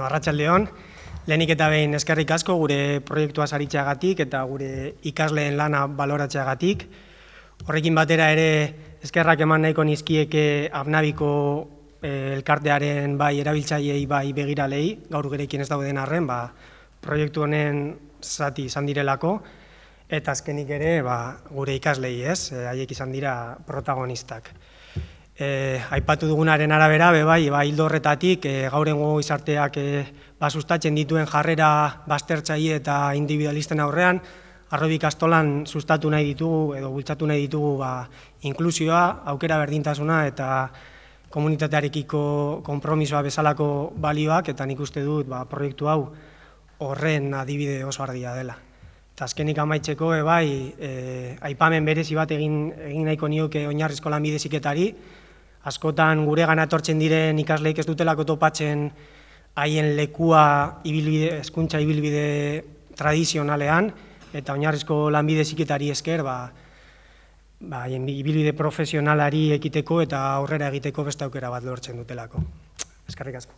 Arratsaldeon, lehenik eta behin eskerrik asko gure proiektua saritzeagatik eta gure ikasleen lana baloratzeagatik. Horrekin batera ere eskerrak eman nahiko nizkieke Abnabiko elkartearen bai erabiltzaileei bai begiralei, gaur gurekin ez dauden arren, proiektu honen zati izan direlako, eta azkenik ere gure ikaslei, haiek izan dira protagonistak. Aipatu dugunaren arabera, hildo horretatik, gaur egungo gizarteak sustatzen dituen jarrera baztertzaile eta individualisten aurrean, Harrobi ikastolan sustatu nahi ditugu edo bultzatu nahi ditugu inklusioa, aukera berdintasuna eta komunitatearekiko konpromisoa bezalako balioak, eta nik uste dut proiektu hau horren adibide oso argia dela. Eta azkenik amaitzeko, aipamen berezi bat egin nahiko nioke oinarrizko lanbide heziketari. Askotan gure gana etortzen diren ikasleek ez dutelako topatzen haien lekua hezkuntza ibilbide tradizionalean, eta oinarrizko lanbide heziketari esker haien ibilbide profesionalari ekiteko eta aurrera egiteko beste aukera bat lortzen dutelako. Eskerrik asko.